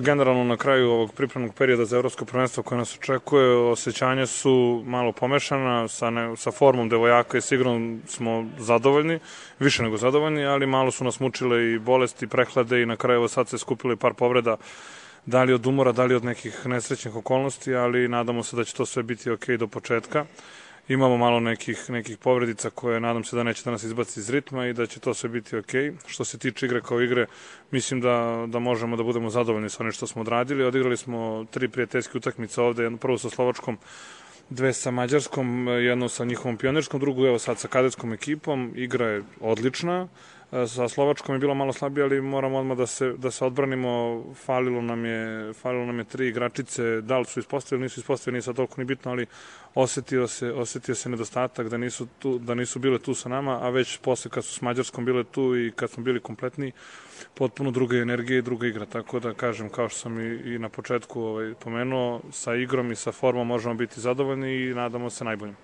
Generalno na kraju ovog pripremnog perioda za evropsko prvenstvo koje nas očekuje, osjećanja su malo pomešana, sa formom devojaka i s igrom smo zadovoljni, više nego zadovoljni, ali malo su nas mučile i bolesti, prehlade i na kraju sad se skupilo i par povreda, da li od umora, da li od nekih nesrećnih okolnosti, ali nadamo se da će to sve biti ok do početka. Imamo malo nekih povredica koje nadam se da neće da nas izbaci iz ritma i da će to sve biti ok. Što se tiče igre kao igre, mislim da možemo da budemo zadovoljni sa onim što smo odradili. Odigrali smo 3 prijateljske utakmice ovde, jednu prvu sa Slovačkom, 2 sa Mađarskom, jednu sa njihovom pionirskom, drugu evo sad sa kadetskom ekipom. Igra je odlična. Sa Slovačkom je bilo malo slabije, ali moramo odmah da se odbranimo. Falilo nam je 3 igračice, da li su ispostavili, nisu ispostavili, nije sad toliko ni bitno, ali osetio se nedostatak da nisu bile tu sa nama, a već posle kad su s Mađarskom bile tu i kad smo bili kompletni, potpuno druga energija i druga igra, tako da kažem, kao što sam i na početku pomenuo, sa igrom i sa formom možemo biti zadovoljni i nadamo se najboljim.